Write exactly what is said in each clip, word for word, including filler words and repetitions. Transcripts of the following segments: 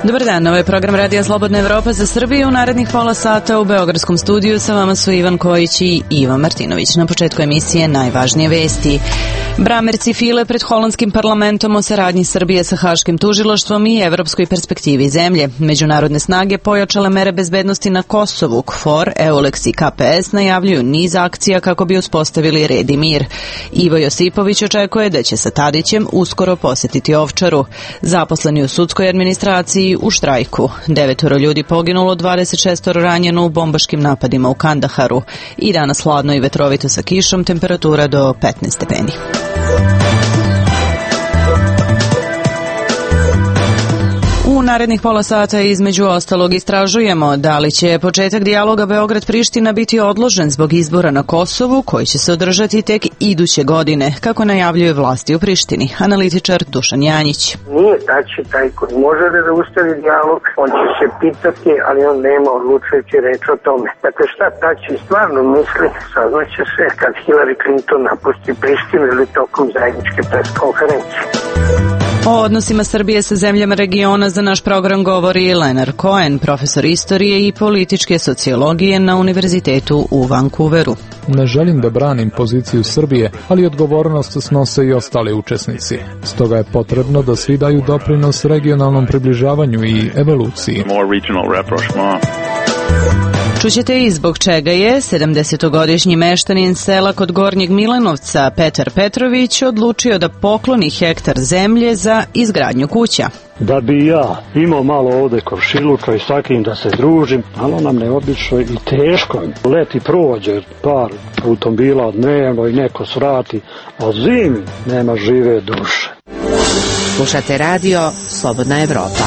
Dobar dan, ovo je program Radija Slobodna Evropa za Srbiju. U narednih pola sata u Beogradskom studiju sa vama su Ivan Kojić i Ivo Martinović. Na početku emisije najvažnije vesti. Bramerci file pred holandskim parlamentom o saradnji Srbije sa Haškim tužilaštvom i evropskoj perspektivi zemlje. Međunarodne snage pojačale mere bezbednosti na Kosovu. KFOR, EULEX i K P S najavljuju niz akcija kako bi uspostavili red i mir. Ivo Josipović očekuje da će sa Tadićem uskoro posetiti Ovčaru. Zaposleni u sudskoj administraciji u štrajku. Devetoro ljudi poginulo, dvadeset šest ranjeno u bombaškim napadima u Kandaharu. I danas hladno i vetrovito sa kišom, temperatura do petnaest stepeni. U narednih pola sata između ostalog istražujemo da li će početak dijaloga Beograd-Priština biti odložen zbog izbora na Kosovu koji će se održati tek iduće godine, kako najavljuje vlasti u Prištini. Analitičar Dušan Janjić. Nije Tači taj koji može da zaustavi dijalog, on će se pitati, ali on nema odlučujući reč o tome. Dakle, šta Tači stvarno misli, saznaće se kad Hillary Clinton napusti Prištinu ili tokom zajedničke preskonferencije. O odnosima Srbije sa zemljama regiona za naš program govori Leonard Cohen, profesor istorije i političke sociologije na Univerzitetu u Vancouveru. Ne želim da branim poziciju Srbije, ali odgovornost snose i ostali učesnici. Stoga je potrebno da svi daju doprinos regionalnom približavanju i evoluciji. Čućete i zbog čega je sedamdesetogodišnji meštanin sela kod Gornjeg Milanovca Petar Petrović odlučio da pokloni hektar zemlje za izgradnju kuća. Da bi ja imao malo ovde komšiluka i s takim da se družim, ali nam neobično i teško. Leti prođe par automobila dnevno i neko svrati, a zimi nema žive duše. Slušate radio Slobodna Evropa.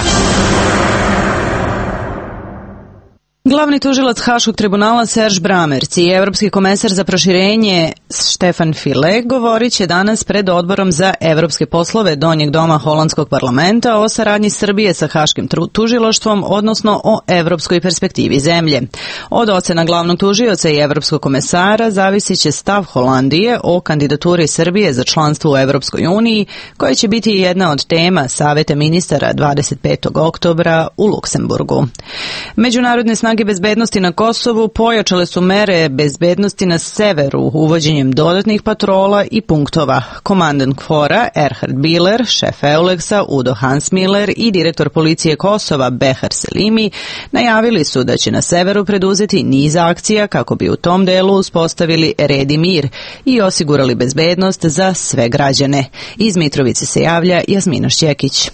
Glavni tužilac Haškog tribunala Serge Bramerc i evropski komesar za proširenje Stefan File govorit će danas pred odborom za evropske poslove Donjeg doma holandskog parlamenta o saradnji Srbije sa Haškim tužilaštvom, odnosno o evropskoj perspektivi zemlje. Od ocena glavnog tužioca i evropskog komesara zavisit će stav Holandije o kandidaturi Srbije za članstvo u Evropskoj uniji, koja će biti jedna od tema Saveta ministara dvadeset petog oktobra u Luksemburgu. Međunarodne snage bezbednosti na Kosovu pojačale su mere bezbednosti na severu uvođenjem dodatnih patrola i punktova. Komandant KFOR-a Erhard Biller, šef EULEX-a Udo Hansmiller i direktor policije Kosova Behar Selimi najavili su da će na severu preduzeti niz akcija kako bi u tom delu uspostavili red i mir i osigurali bezbednost za sve građane. Iz Mitrovice se javlja Jasmina Šćekić.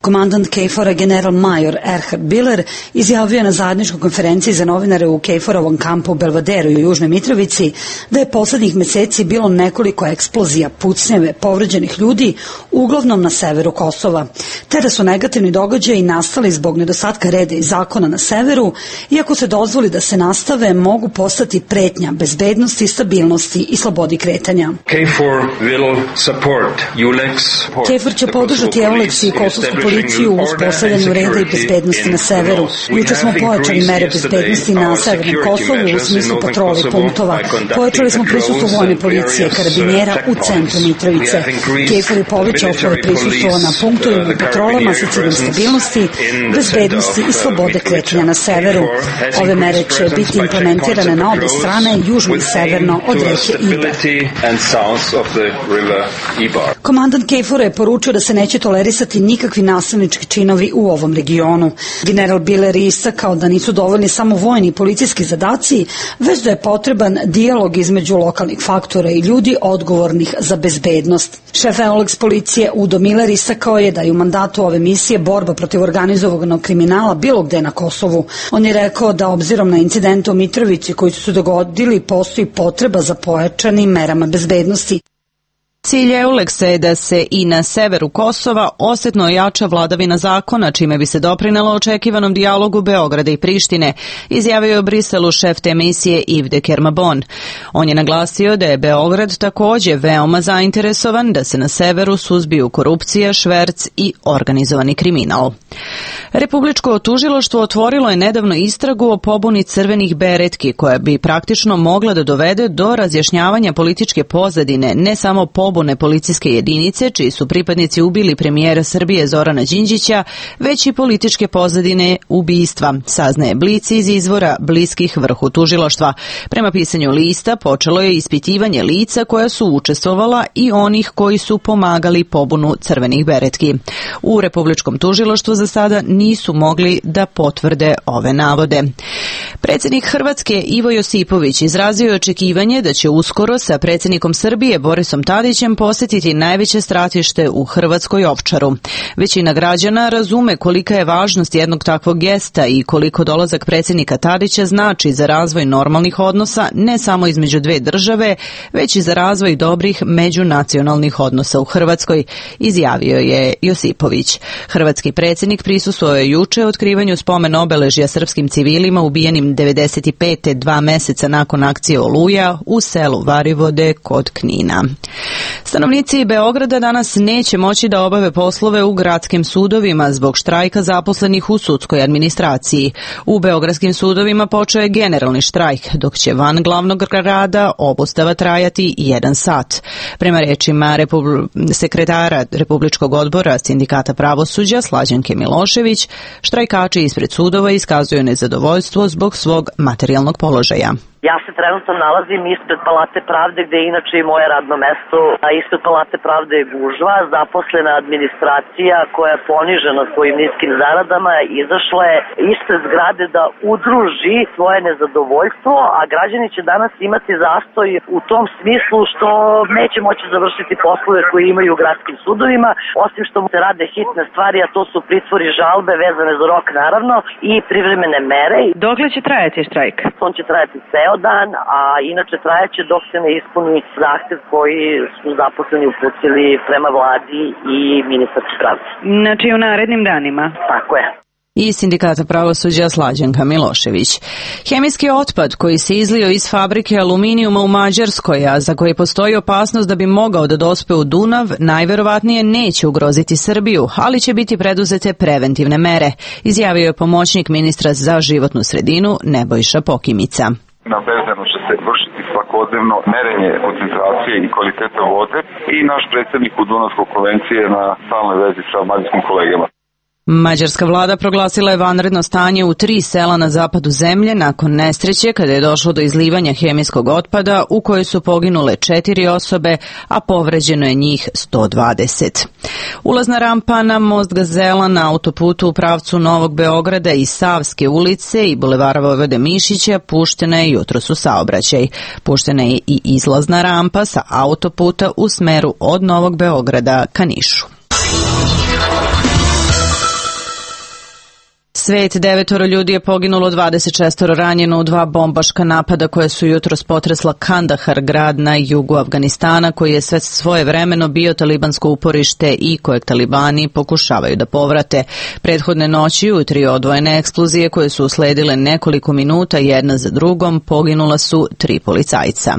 Komandant KFOR-a general major Erhard Biller izjavio je na zajedničkoj konferenciji za novinare u KFOR-ovom kampu u Belvederu i u Južnoj Mitrovici da je poslednjih meseci bilo nekoliko eksplozija, pucnjeve, povređenih ljudi, uglavnom na severu Kosova, te da su negativni događaji nastali zbog nedostatka reda i zakona na severu, iako se dozvoli da se nastave, mogu postati pretnja bezbednosti, stabilnosti i slobodi kretanja. KFOR će podržati EULEX i kosovsku policiju u uspostavljanju reda i bezbednosti na severu. Juče smo pojačali mere bezbednosti na severnom Kosovu u smislu patrole i punktova. Pojačali smo prisustvo vojne policije karabinjera u centru Mitrovice. KFOR je povećao svoje prisustvo na punktovima i patrolama sa ciljem stabilnosti, bezbednosti i slobode kretanja na severu. Ove mere će biti implementirane na obe strane, južno i severno od reke Ibar. Komandant KFOR-a je poručio da se neće tolerisati nikakvi nasilnički činovi u ovom regionu. General Biller je istakao da nisu dovoljni samo vojni i policijski zadaci, već da je potreban dijalog između lokalnih faktora i ljudi odgovornih za bezbednost. Šef EULEX policije Udo Miller istakao je da je u mandatu ove misije borba protiv organizovanog kriminala bilo gde na Kosovu. On je rekao da obzirom na incidente u Mitrovici koji su se dogodili, postoji potreba za pojačanim merama bezbednosti. Cilj EULEX-a je da se i na severu Kosova osetno ojača vladavina zakona, čime bi se doprinelo očekivanom dijalogu Beograda i Prištine, izjavio je u Briselu šef te misije Yves de Kermabon. On je naglasio da je Beograd takođe veoma zainteresovan da se na severu suzbiju korupcija, šverc i organizovani kriminal. Republičko tužilaštvo otvorilo je nedavno istragu o pobuni crvenih beretki, koja bi praktično mogla da dovede do razjašnjavanja političke pozadine, ne samo pobune pobune policijske jedinice, čiji su pripadnici ubili premijera Srbije Zorana Đinđića, već i političke pozadine ubistva, saznaje Blic iz izvora bliskih vrhu tužilaštva. Prema pisanju lista, počelo je ispitivanje lica koja su učestvovala i onih koji su pomagali pobunu crvenih beretki. U Republičkom tužilaštvu za sada nisu mogli da potvrde ove navode. Predsjednik Hrvatske Ivo Josipović izrazio je očekivanje da će uskoro sa predsjednikom Srbije Borisom Tadićem posjetiti najveće stratište u Hrvatskoj Ovčaru. Većina građana razume kolika je važnost jednog takvog gesta i koliko dolazak predsjednika Tadića znači za razvoj normalnih odnosa ne samo između dve države, već i za razvoj dobrih međunacionalnih odnosa u Hrvatskoj, izjavio je Josipović. Hrvatski predsjednik prisustvovao je juče otkrivanju spomen obeležja srpskim civilima ubijenim devedeset pete dva meseca nakon akcije Oluja u selu Varivode kod Knina. Stanovnici Beograda danas neće moći da obave poslove u gradskim sudovima zbog štrajka zaposlenih u sudskoj administraciji. U beogradskim sudovima počeo je generalni štrajk, dok će van glavnog grada obustava trajati jedan sat. Prema rečima Republi- sekretara Republičkog odbora Sindikata pravosuđa Slađanke Milošević, štrajkači ispred sudova iskazuju nezadovoljstvo zbog svog materijalnog položaja. Ja se trenutno nalazim ispred Palate pravde, gde je inače i moje radno mesto, a ispred Palate pravde je gužva, zaposlena administracija koja je ponižena svojim niskim zaradama, izašla je ispred zgrade da udruži svoje nezadovoljstvo, a građani će danas imati zastoj u tom smislu što neće moći završiti poslove koje imaju u gradskim sudovima, osim što mu se rade hitne stvari, a to su pritvori, žalbe vezane za rok naravno i privremene mere. Dokle će trajati štrajk? On će trajati ceo dan, a inače trajaće dok se ne ispuni zahtev koji su zaposleni uputili prema vladi i ministarki pravde. Znači u narednim danima? Tako je. I Sindikata pravosuđa Slađanka Milošević. Hemijski otpad koji se izlio iz fabrike aluminijuma u Mađarskoj, a za koji postoji opasnost da bi mogao da dospe u Dunav, najverovatnije neće ugroziti Srbiju, ali će biti preduzete preventivne mere, izjavio je pomoćnik ministra za životnu sredinu Nebojša Pokimica. Na Bezdanu će se vršiti svakodnevno merenje koncentracije i kvaliteta vode i naš predsjednik u Dunavskoj konvenciji je na stalnoj vezi sa mađarskim kolegama. Mađarska vlada proglasila je vanredno stanje u tri sela na zapadu zemlje nakon nesreće kada je došlo do izlivanja hemijskog otpada u kojoj su poginule četiri osobe, a povređeno je njih sto dvadeset. Ulazna rampa na most Gazela na autoputu u pravcu Novog Beograda i Savske ulice i bulevara Vojvode Mišića puštena je jutros u saobraćaj. Puštena je i izlazna rampa sa autoputa u smeru od Novog Beograda ka Nišu. Svet, devetoro ljudi je poginulo, dvadeset šest ranjeno u dva bombaška napada koje su jutros potresla Kandahar, grad na jugu Afganistana, koji je sve svoje vremeno bio talibansko uporište i kojeg talibani pokušavaju da povrate. Prethodne noći u tri odvojene eksplozije koje su usledile nekoliko minuta jedna za drugom poginula su tri policajca.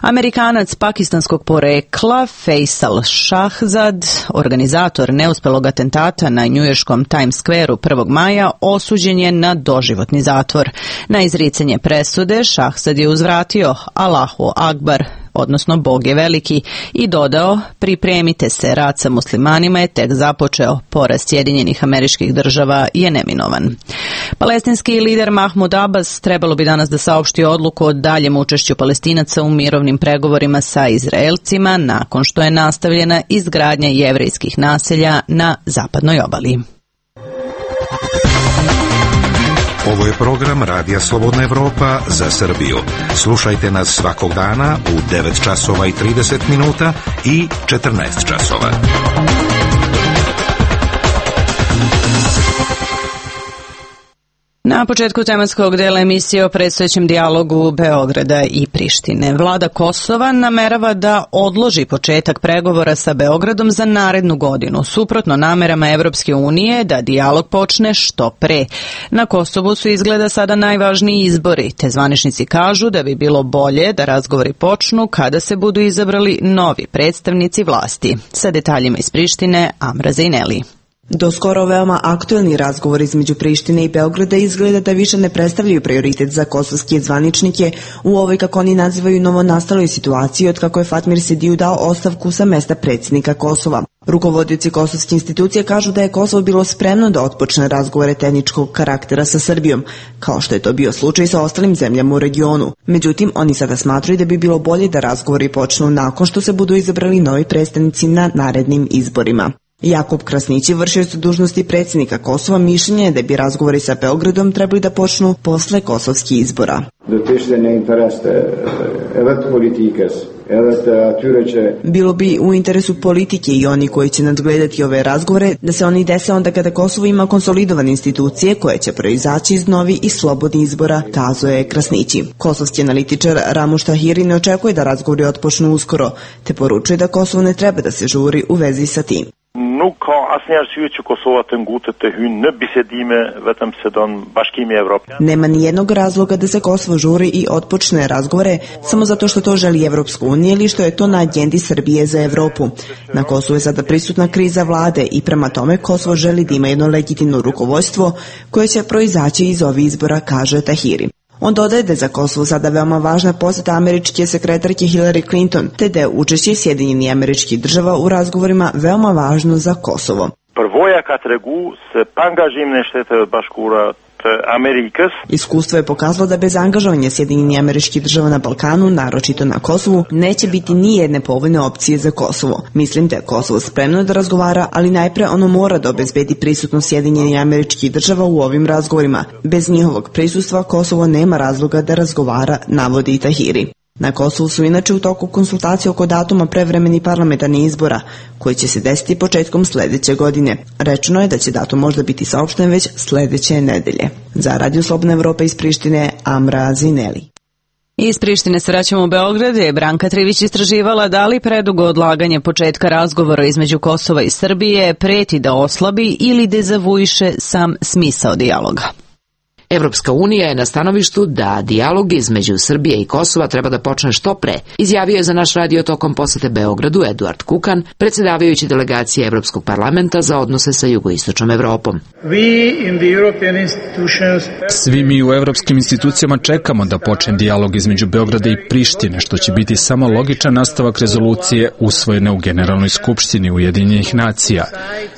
Amerikanac pakistanskog porekla Faisal Shahzad, organizator neuspelog atentata na njujorškom Times Squareu prvog maja, osuđen je na doživotni zatvor. Na izricanje presude Shahzad je uzvratio Allahu Akbar, odnosno Bog je veliki, i dodao: pripremite se, rat sa muslimanima je tek započeo, poraz Sjedinjenih Američkih Država je neminovan. Palestinski lider Mahmud Abbas trebalo bi danas da saopšti odluku o daljem učešću Palestinaca u mirovnim pregovorima sa Izraelcima nakon što je nastavljena izgradnja jevrejskih naselja na zapadnoj obali. Ovo je program Radija Slobodna Evropa za Srbiju. Slušajte nas svakog dana u devet časova i trideset minuta i četrnaest časova. Na početku tematskog dela emisije o predstojećem dijalogu Beograda i Prištine. Vlada Kosova namerava da odloži početak pregovora sa Beogradom za narednu godinu, suprotno namerama Evropske unije da dijalog počne što pre. Na Kosovu su izgleda sada najvažniji izbori, te zvaničnici kažu da bi bilo bolje da razgovori počnu kada se budu izabrali novi predstavnici vlasti. Sa detaljima iz Prištine, Amra Zejneli. Do skoro veoma aktuelni razgovor između Prištine i Beograda izgleda da više ne predstavljaju prioritet za kosovske zvaničnike u ovoj, kako oni nazivaju, novonastaloj situaciji od kako je Fatmir Sediju dao ostavku sa mesta predsjednika Kosova. Rukovodioci kosovske institucije kažu da je Kosovo bilo spremno da otpočne razgovore tehničkog karaktera sa Srbijom, kao što je to bio slučaj sa ostalim zemljama u regionu. Međutim, oni sada smatraju da bi bilo bolje da razgovori počnu nakon što se budu izabrali novi predstavnici na narednim izborima. Jakub Krasnići, vršioc dužnosti predsjednika Kosova, mišljenje je da bi razgovori sa Beogradom trebali da počnu posle kosovskih izbora. Bilo bi u interesu politike i oni koji će nadgledati ove razgovore da se oni dese onda kada Kosovo ima konsolidovane institucije koje će proizaći iz novi i slobodnih izbora, kazao je Krasnići. Kosovski analitičar Ramuš Tahiri ne očekuje da razgovori otpočnu uskoro, te poručuje da Kosovo ne treba da se žuri u vezi sa tim. Nuk ka asnjë arsye që Kosova të ngutet të hyjë në bisedime vetëm se don Bashkimi Evropian. Nema ni jednog razloga da se Kosovo žuri i otpočne razgovore samo zato što to želi Evropska unija ili što je to na agendi Srbije za Evropu. Na Kosovu je sada prisutna kriza vlade i prema tome Kosovo želi da ima jedno legitimno rukovodstvo koje će proizaći iz ovih izbora, kaže Tahiri. On dodaje da je za Kosovo sada veoma važna posjeta američke sekretarke Hillary Clinton, te da je učešće Sjedinjenih Američkih Država u razgovorima veoma važno za Kosovo. Përvoja ka tregu se pa angazhim në Shtetet e Bashkuara të Amerikës. Iskustvo je pokazalo da bez angažovanja Sjedinjenih Američkih Država na Balkanu, naročito na Kosovu, neće biti ni jedne povoljne opcije za Kosovo. Mislim da je Kosovo spremno da razgovara, ali najpre ono mora da obezbedi prisutnost Sjedinjenih Američkih Država u ovim razgovorima. Bez njihovog prisustva Kosovo nema razloga da razgovara, navodi Tahiri. Na Kosovu su inače u toku konsultacije oko datuma prevremenih parlamentarnih izbora, koji će se desiti početkom sledeće godine. Rečeno je da će datum možda biti saopšten već sledeće nedelje. Za Radio Slobodna Evropa iz Prištine, Amra Zineli. Iz Prištine se vraćamo u Beograd, je Branka Trivić istraživala da li predugo odlaganje početka razgovora između Kosova i Srbije preti da oslabi ili dezavuiše sam smisao dijaloga. Evropska unija je na stanovištu da dijalog između Srbije i Kosova treba da počne što pre, izjavio je za naš radio tokom posete Beogradu Eduard Kukan, predsjedavajući delegacije Evropskog parlamenta za odnose sa jugoistočnom Evropom. Svi mi u evropskim institucijama čekamo da počne dijalog između Beograda i Prištine, što će biti samo logičan nastavak rezolucije usvojene u Generalnoj skupštini Ujedinjenih nacija.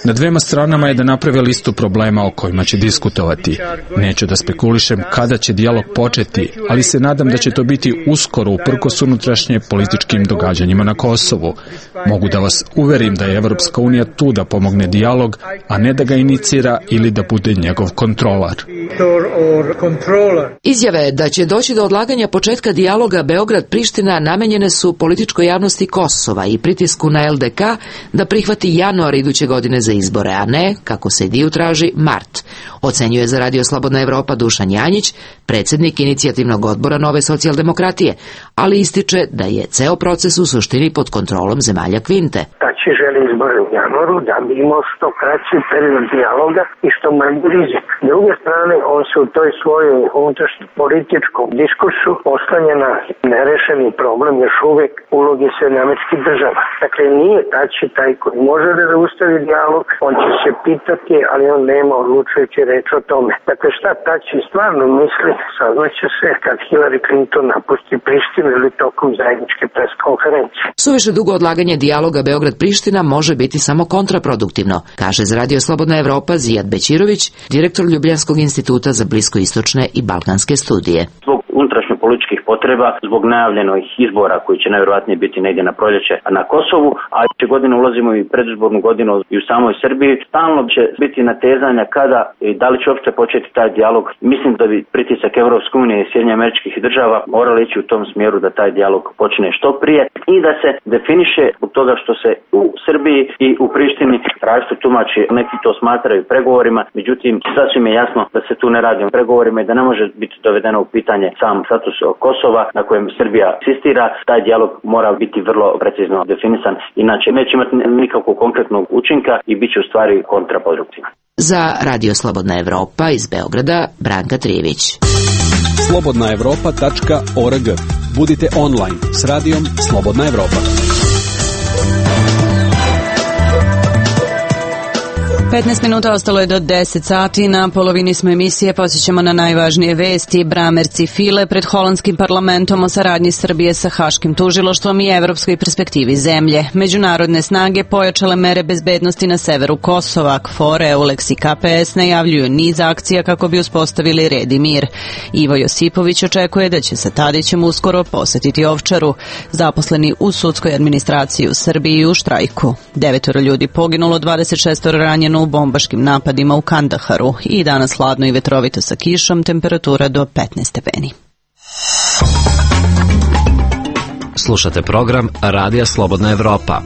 Na dvema stranama je da naprave listu problema o kojima će diskutovati. Neću da spekulišem kada će dijalog početi, ali se nadam da će to biti uskoro uprkos unutrašnje političkim događanjima na Kosovu. Mogu da vas uverim da je Evropska unija tu da pomogne dijalog, a ne da ga inicira ili da bude njegov kontrolar. Izjave da će doći do odlaganja početka dijaloga Beograd-Priština namenjene su političkoj javnosti Kosova i pritisku na el de ka da prihvati januar iduće godine za izbore, a ne, kako se Diju traži, mart. Ocenjuje za Radio Slobodna Evropa Dušan Janjić, predsjednik inicijativnog odbora Nove socijaldemokratije, ali ističe da je ceo proces u suštini pod kontrolom zemalja Kvinte. Tači želi izbore u januaru da bi imao što kraći period dijaloga i što manji rizik. S druge strane, on se u toj svojoj unutrašnjem političkom diskursu oslanja na nerešeni problem još uvek uloge Sjedinjenih Američkih Država. Dakle, nije Tači taj koji može da zaustavi dijalog, on će se pitati, ali on nema odlučujući reč o tome. Dakle, šta Tači stvarno misli, saznaće se kad Hillary Clinton napusti Prištinu ili tokom zajedničke pres konferencije. Suviše dugo odlaganje dijaloga Beograd-Priština može biti samo kontraproduktivno, kaže za Radio Slobodna Evropa Zijad Bećirović, direktor Ljubljanskog instituta za bliskoistočne i balkanske studije. Zbog unutrašnjo-političkih potreba, zbog najavljenih izbora koji će najvjerojatnije biti negdje na proljeće na Kosovu, a iduće godine ulazimo i predizbornu godinu i u samoj Srbiji, stalno će biti natezanja kada i da li će uopšte početi taj dijalog. Mislim da bi pritisak Evropske unije i Sjedinjenih Američkih Država morali ići u tom smjeru da taj dijalog počne što prije i da se definiše zbog toga što se u Srbiji i u Prištini različito tumači, neki to smatraju pregovorima, međutim sasvim je jasno da se tu ne radi o pregovorima i da ne može biti dovedeno u pitanje sam status Kosova na kojem Srbija insistira. Taj dijalog mora biti vrlo precizno definisan, inače neće imati nikakvog konkretnog učinka i bit će u stvari kontraproduktivan. Za Radio Slobodna Evropa iz Beograda Branka Trivić. slobodna evropa tačka org. Budite online s radijom Slobodna Evropa. petnaest minuta ostalo je do deset sati, na polovini smo emisije, posjećamo na najvažnije vesti. Bramerci file pred holandskim parlamentom o saradnji Srbije sa Haškim tužilaštvom i evropskoj perspektivi zemlje. Međunarodne snage pojačale mere bezbednosti na severu Kosova. KFOR, EULEX i K P S najavljuju niz akcija kako bi uspostavili red i mir. Ivo Josipović očekuje da će sa Tadićem uskoro posetiti Ovčaru. Zaposleni u sudskoj administraciji u Srbiji u štrajku. Devetoro ljudi poginulo, dvadeset šest ranjeno u bombaškim napadima u Kandaharu i danas hladno i vetrovito sa kišom, temperatura do petnaest stepeni. Slušate program Radija Slobodna Evropa.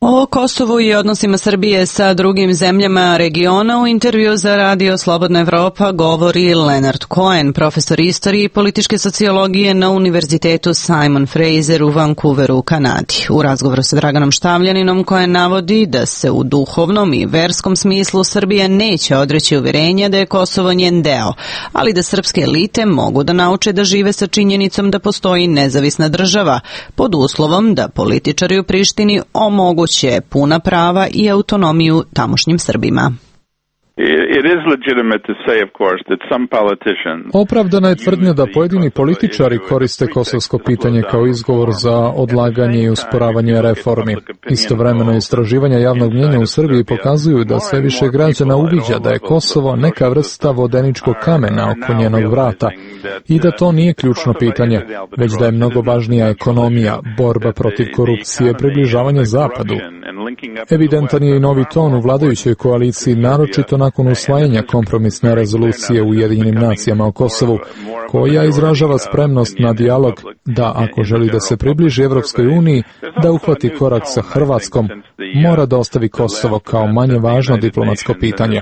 O Kosovu i odnosima Srbije sa drugim zemljama regiona u intervju za Radio Slobodna Evropa govori Leonard Cohen, profesor istorije i političke sociologije na Univerzitetu Simon Fraser u Vancouveru u Kanadi. U razgovoru sa Draganom Štavljaninom, Cohen navodi da se u duhovnom i verskom smislu Srbija neće odreći uverenja da je Kosovo njen deo, ali da srpske elite mogu da nauče da žive sa činjenicom da postoji nezavisna država, pod uslovom da političari u Prištini omoguće će puna prava i autonomiju tamošnjim Srbima. Opravdana je tvrdnja da pojedini političari koriste kosovsko pitanje kao izgovor za odlaganje i usporavanje reformi. Istovremeno istraživanja javnog mnjenja u Srbiji pokazuju da sve više građana uviđa da je Kosovo neka vrsta vodeničkog kamena oko njenog vrata i da to nije ključno pitanje, već da je mnogo važnija ekonomija, borba protiv korupcije, približavanje Zapadu. Evidentan je i novi ton u vladajućoj koaliciji, naročito nakon usvajanja kompromisne rezolucije u Ujedinjenim nacijama o Kosovu, koja izražava spremnost na dijalog da, ako želi da se približi Evropskoj uniji, da uhvati korak sa Hrvatskom, mora da ostavi Kosovo kao manje važno diplomatsko pitanje.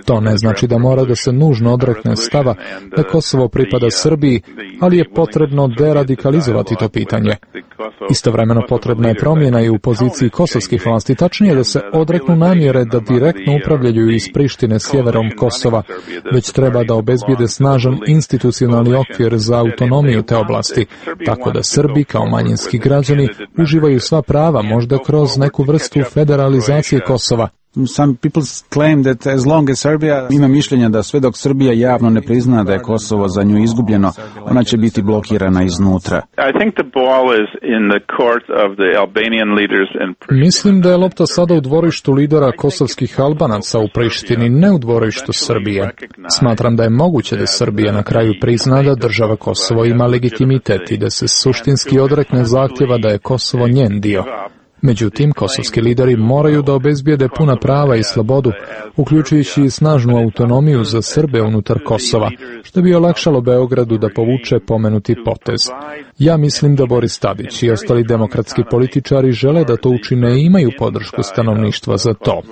To ne znači da mora da se nužno odrekne stava da Kosovo pripada Srbiji, ali je potrebno deradikalizovati to pitanje. Istovremeno potrebna je promjena i u poziciji kosovskih vlasti, tačnije da se odreknu namjere da direktno upravljaju iz Prištine sjeverom Kosova, već treba da obezbijede snažan institucionalni okvir za autonomiju te oblasti, tako da Srbi kao manjinski građani uživaju sva prava, možda kroz neku vrstu federalizacije Kosova. Some people claim that as long as Serbia ima mišljenja da sve dok Srbija javno ne prizna da je Kosovo za nju izgubljeno, ona će biti blokirana iznutra. Mislim da je lopta sada u dvorištu lidera kosovskih Albanaca u Prištini, ne u dvorištu Srbije. Smatram da je moguće da Srbija na kraju prizna da država Kosovo ima legitimitet i da se suštinski odrekne zahtjeva da je Kosovo njen dio. Međutim, kosovski lideri moraju da obezbijede puna prava i slobodu, uključujući i snažnu autonomiju za Srbe unutar Kosova, što bi olakšalo Beogradu da povuče pomenuti potez. Ja mislim da Boris Tadić i ostali demokratski političari žele da to učine i imaju podršku stanovništva za to.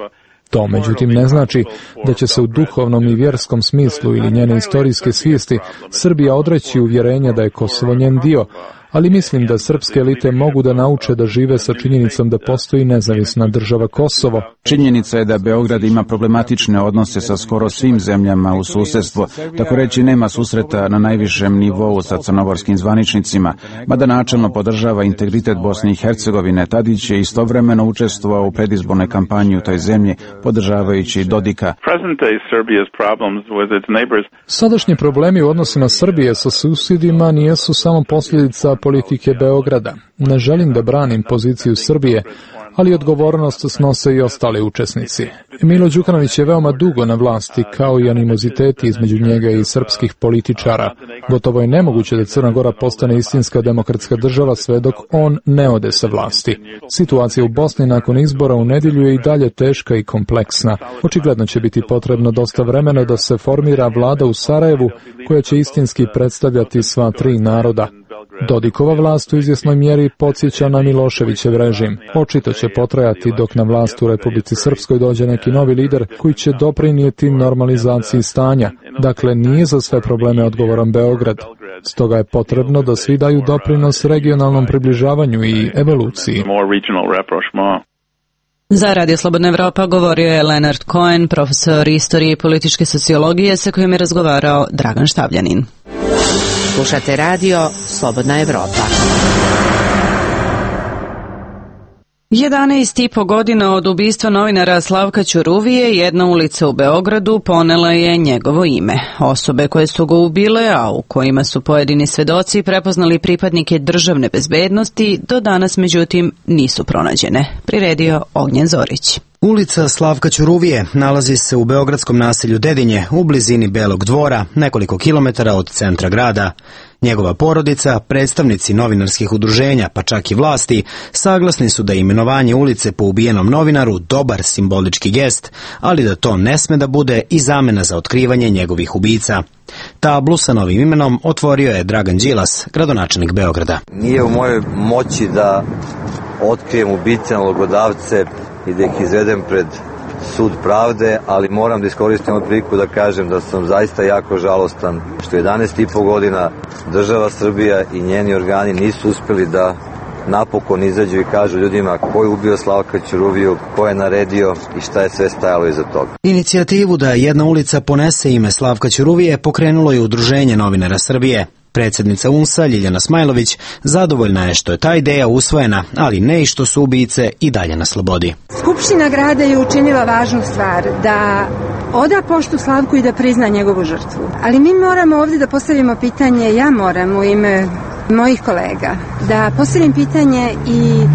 To, međutim, ne znači da će se u duhovnom i vjerskom smislu ili njene istorijske svijesti Srbija odreći uvjerenja da je Kosovo njen dio, ali mislim da srpske elite mogu da nauče da žive sa činjenicom da postoji nezavisna država Kosovo. Činjenica je da Beograd ima problematične odnose sa skoro svim zemljama u susjedstvu, tako reći nema susreta na najvišem nivou sa crnogorskim zvaničnicima, mada načelno podržava integritet Bosne i Hercegovine. Tadić je istovremeno učestvovao u predizbornoj kampanji u toj zemlji, podržavajući Dodika. Sadašnji problemi u odnosima Srbije sa susjedima nijesu samo posljedica politike Beograda. Ne želim da branim poziciju Srbije, ali odgovornost snose i ostali učesnici. Milo Đukanović je veoma dugo na vlasti, kao i animoziteti između njega i srpskih političara. Gotovo je nemoguće da Crna Gora postane istinska demokratska država sve dok on ne ode sa vlasti. Situacija u Bosni nakon izbora u nedjelju je i dalje teška i kompleksna. Očigledno će biti potrebno dosta vremena da se formira vlada u Sarajevu koja će istinski predstavljati sva tri naroda. Dodikova vlast u izvjesnoj mjeri podsjeća na Miloševićev režim. Očito će potrajati dok na vlast u Republici Srpskoj dođe neki novi lider koji će doprinijeti normalizaciji stanja. Dakle, nije za sve probleme odgovoran Beograd. Stoga je potrebno da svi daju doprinos regionalnom približavanju i evoluciji. Za Radio Slobodna Evropa govorio je Leonard Cohen, profesor istorije i političke sociologije sa kojim je razgovarao Dragan Štavljanin. Slušate Radio Slobodna Evropa. jedanaest i po godina od ubistva novinara Slavka Ćuruvije, jedna ulica u Beogradu ponela je njegovo ime. Osobe koje su ga ubile, a u kojima su pojedini svedoci prepoznali pripadnike državne bezbednosti, do danas međutim nisu pronađene. Priredio Ognjen Zorić. Ulica Slavka Ćuruvije nalazi se u beogradskom naselju Dedinje, u blizini Belog dvora, nekoliko kilometara od centra grada. Njegova porodica, predstavnici novinarskih udruženja, pa čak i vlasti, saglasni su da je imenovanje ulice po ubijenom novinaru dobar simbolički gest, ali da to ne sme da bude i zamena za otkrivanje njegovih ubica. Tablu sa novim imenom otvorio je Dragan Đilas, gradonačelnik Beograda. Nije u mojoj moći da otkrijem ubice, nalogodavce i da ih izvedem pred sud pravde, ali moram da iskoristim ovu priliku da kažem da sam zaista jako žalostan što jedanaest i po godina država Srbija i njeni organi nisu uspeli da napokon izađu i kažu ljudima ko je ubio Slavka Ćuruviju, ko je naredio i šta je sve stajalo iza toga. Inicijativu da jedna ulica ponese ime Slavka Ćuruvije pokrenulo je Udruženje novinara Srbije. Predsjednica U N S A Ljiljana Smajlović zadovoljna je što je ta ideja usvojena, ali ne i što su ubice i dalje na slobodi. Skupština grada je učinila važnu stvar, da oda poštu Slavku i da prizna njegovu žrtvu. Ali mi moramo ovdje da postavimo pitanje, ja moram u ime mojih kolega, da postavim pitanje i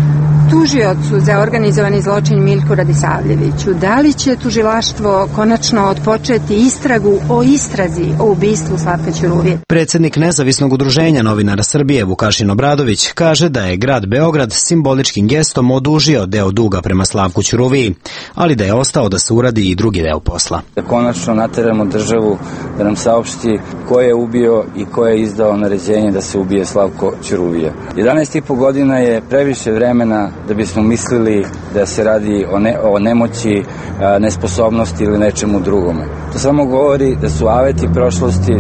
tužiocu za organizovani zločin Milku Radisavljeviću. Da li će tužilaštvo konačno otpočeti istragu o istrazi o ubistvu Slavka Ćuruvije? Predsjednik Nezavisnog udruženja novinara Srbije Vukašin Obradović kaže da je grad Beograd simboličkim gestom odužio deo duga prema Slavku Ćuruviji, ali da je ostao da se uradi i drugi deo posla. Da konačno nateramo državu da nam saopšti ko je ubio i ko je izdao naređenje da se ubije Slavko Ćuruvija. jedanaest i po godina je previše vremena da bismo mislili da se radi o, ne, o nemoći, a, nesposobnosti ili nečemu drugome. To samo govori da su aveti prošlosti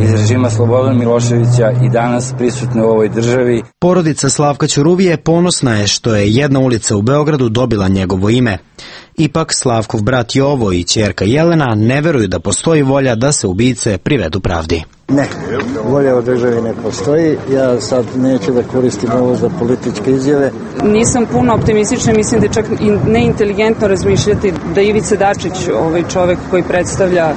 iz režima Slobodana Miloševića i danas prisutne u ovoj državi. Porodica Slavka Ćuruvije ponosna je što je jedna ulica u Beogradu dobila njegovo ime. Ipak Slavkov brat Jovo i ćerka Jelena ne veruju da postoji volja da se ubice privedu pravdi. Ne, volja u državi ne postoji. Ja sad neću da koristim ovo za političke izjave. Nisam puno optimistična, mislim da je čak i neinteligentno razmišljati da Ivica Dačić, ovaj čovek koji predstavlja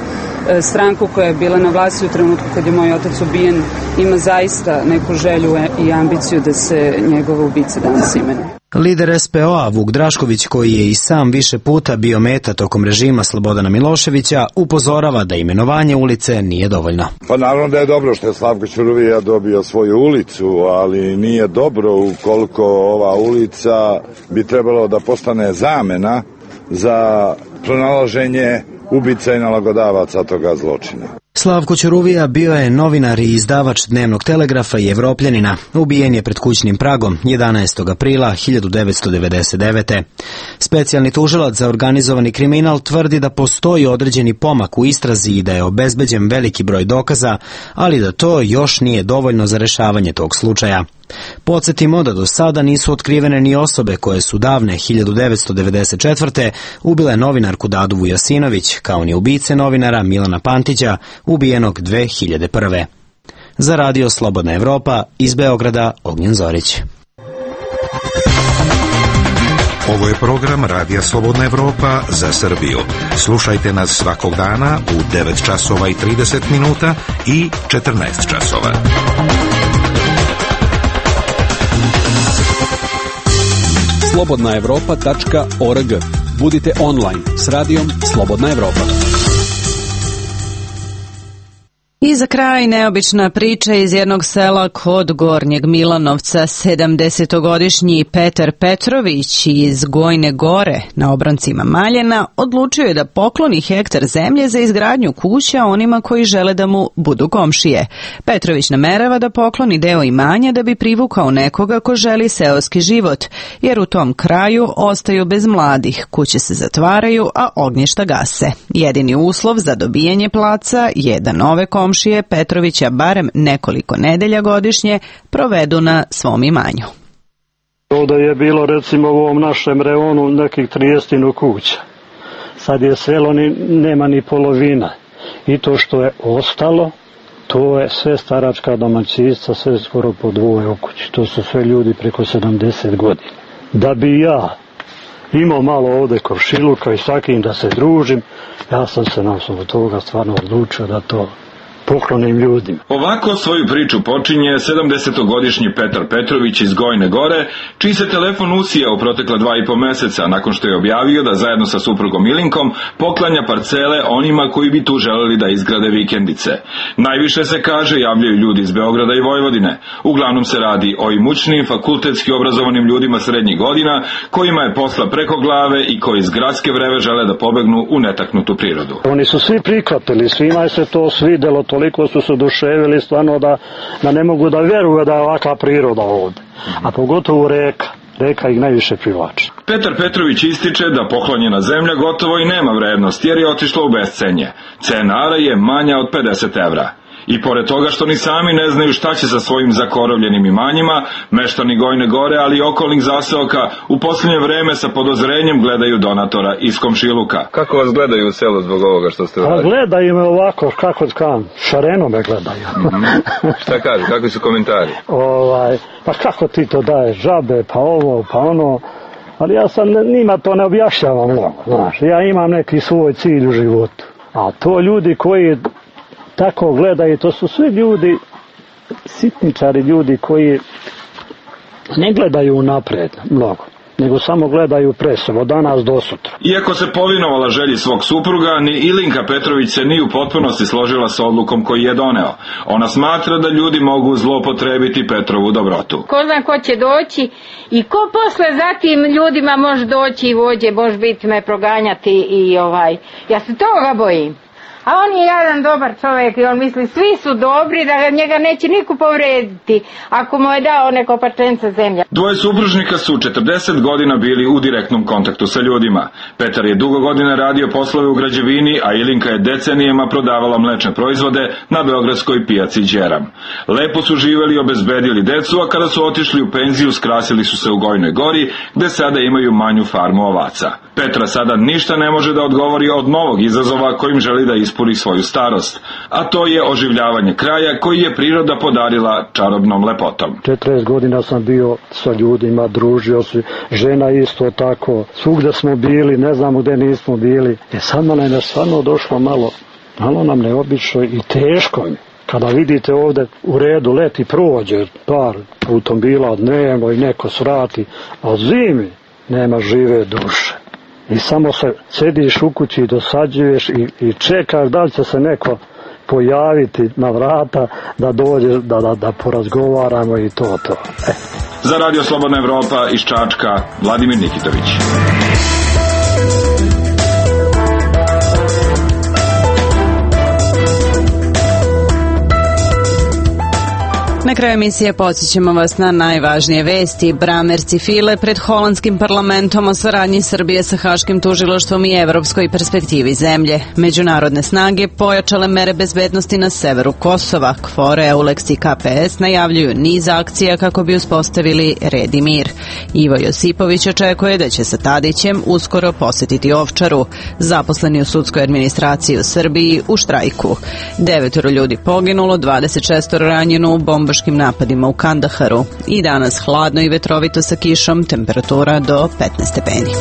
stranku koja je bila na vlasti u trenutku kad je moj otac ubijen, ima zaista neku želju i ambiciju da se njegova ubica danas imenuje. Lider S P O-a Vuk Drašković, koji je i sam više puta bio meta tokom režima Slobodana Miloševića, upozorava da imenovanje ulice nije dovoljno. Pa naravno da je dobro što je Slavko Ćuruvija dobio svoju ulicu, ali nije dobro ukoliko ova ulica bi trebalo da postane zamena za pronalaženje ubica i nalogodavaca toga zločina. Slavko Ćuruvija bio je novinar i izdavač Dnevnog telegrafa i Evropljanina. Ubijen je pred kućnim pragom jedanaestog aprila hiljadu devetsto devedeset devete. Specijalni tužilac za organizovani kriminal tvrdi da postoji određeni pomak u istrazi i da je obezbeđen veliki broj dokaza, ali da to još nije dovoljno za rešavanje tog slučaja. Podsjetimo da do sada nisu otkrivene ni osobe koje su davne hiljadu devetsto devedeset četvrte ubile novinarku Dadu Vujasinović, kao ni ubice novinara Milana Pantića, ubijenog dve hiljade prve. Za Radio Slobodna Evropa, iz Beograda, Ognjen Zorić. Ovo je program Radija Slobodna Evropa za Srbiju. Slušajte nas svakog dana u devet časova i trideset minuta i četrnaest časova. slobodna evropa tačka org. Budite online s radijom Slobodna Evropa. I za kraj neobična priča iz jednog sela kod Gornjeg Milanovca. sedamdesetogodišnji Petar Petrović iz Gojne Gore na obroncima Maljena odlučio je da pokloni hektar zemlje za izgradnju kuća onima koji žele da mu budu komšije. Petrović namerava da pokloni deo imanja da bi privukao nekoga ko želi seoski život, jer u tom kraju ostaju bez mladih, kuće se zatvaraju, a ognjišta gase. Jedini uslov za dobijanje placa je da nove komšije Petrovića barem nekoliko nedelja godišnje provedu na svom imanju. Ovdje je bilo recimo u ovom našem reonu nekih trideset kuća. Sad je selo, ni, nema ni polovina. I to što je ostalo, to je sve staračka domaćinstva, sve skoro po dvoje u kući. To su sve ljudi preko sedamdeset godina. da bi ja imao malo ovde komšiluka i sa kim da se družim, ja sam se na osnovu toga stvarno odlučio da to poklonim ljudima. Ovako svoju priču počinje sedamdesetogodišnji Petar Petrović iz Gojne Gore, čiji se telefon usijao u protekla dva i po meseca nakon što je objavio da zajedno sa suprugom Ilinkom poklanja parcele onima koji bi tu želeli da izgrade vikendice. Najviše se kaže javljaju ljudi iz Beograda i Vojvodine. Uglavnom se radi o imućnim, fakultetski obrazovanim ljudima srednjih godina, kojima je posla preko glave i koji iz gradske vreve žele da pobegnu u netaknutu prirodu. Oni su svi prihvatili, svima je se to svidelo, toliko su se oduševili stvarno da, da ne mogu da vjeruju da je ovakva priroda ovdje. A pogotovo reka. Reka ih najviše privlači. Petar Petrović ističe da poklonjena zemlja gotovo i nema vrednost jer je otišla u bescenje. Cena ara je manja od pedeset evra. I pored toga što ni sami ne znaju šta će sa svojim zakorovljenim imanjima, meštani Gojne Gore, ali i okolnih zaseoka u posljednje vreme sa podozrenjem gledaju donatora iz komšiluka. Kako vas gledaju u selu zbog ovoga što ste uradili? A gledaju me ovako, kako kam, šareno me gledaju. Mm-hmm. Šta kažu, kakvi su komentari? Ovaj, pa kako ti to daješ, žabe, pa ovo, pa ono, ali ja sam njima to ne objašnjavam mnogo, znaš, ja imam neki svoj cilj u životu. A to ljudi koji tako gledaju, to su svi ljudi, sitničari ljudi koji ne gledaju napred mnogo, nego samo gledaju presov od danas do sutra. Iako se povinovala želji svog supruga, ni Ilinka Petrović se ni u potpunosti složila sa odlukom koji je doneo. Ona smatra da ljudi mogu zlopotrebiti Petrovu dobrotu. Ko zna ko će doći i ko posle zatim ljudima može doći i vođe, može biti me proganjati i ovaj, ja se toga bojim. A on je jedan dobar čovjek i on misli svi su dobri, da njega neće niko povrediti ako mu je dao neko parčence zemlja. Dvoje supružnika su četrdeset godina bili u direktnom kontaktu sa ljudima. Petar je dugo godina radio poslove u građevini, a Ilinka je decenijema prodavala mlečne proizvode na beogradskoj pijaci Đeram. Lepo su živeli i obezbedili decu, a kada su otišli u penziju skrasili su se u Gojnoj Gori, gde sada imaju manju farmu ovaca. Petra sada ništa ne može da odgovori od novog izazova kojim želi da ispuni svoju starost, a to je oživljavanje kraja koji je priroda podarila čarobnom lepotom. četrdeset godina sam bio sa ljudima, družio se, žena isto tako, svugde smo bili, ne znamo gde nismo bili. E sad nam je stvarno došlo malo, malo nam neobično i teško mi. Kada vidite ovde u redu leti prođe par automobila dnevno i neko svrati, a zimi nema žive duše. I samo se sediš u kući i dosađuješ i, i čekaš da li će se neko pojaviti na vrata da dođe, da, da, da porazgovaramo i to to. E. Za Radio Slobodna Evropa iz Čačka, Vladimir Nikitović. Na kraju emisije podsjećamo vas na najvažnije vesti. Bramerci file pred holandskim parlamentom o saradnji Srbije sa Haškim tužilaštvom i evropskoj perspektivi zemlje. Međunarodne snage pojačale mere bezbednosti na severu Kosova. KFOR, EULEX i K P S najavljuju niz akcija kako bi uspostavili red i mir. Ivo Josipović očekuje da će sa Tadićem uskoro posetiti Ovčaru. Zaposleni u sudskoj administraciji u Srbiji u štrajku. Devetoro ljudi poginulo, dvadeset šest ranjeno u bombaškim napadima u Kandaharu. I danas hladno i vetrovito sa kišom, temperatura do petnaest stepeni.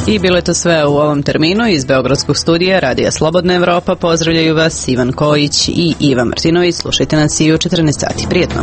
I bilo je to sve u ovom terminu. Iz Beogradskog studija Radija Slobodna Evropa pozdravljaju vas Ivan Kojić i Iva Martinović. Slušajte nas i u četrnaest sati. Prijetno.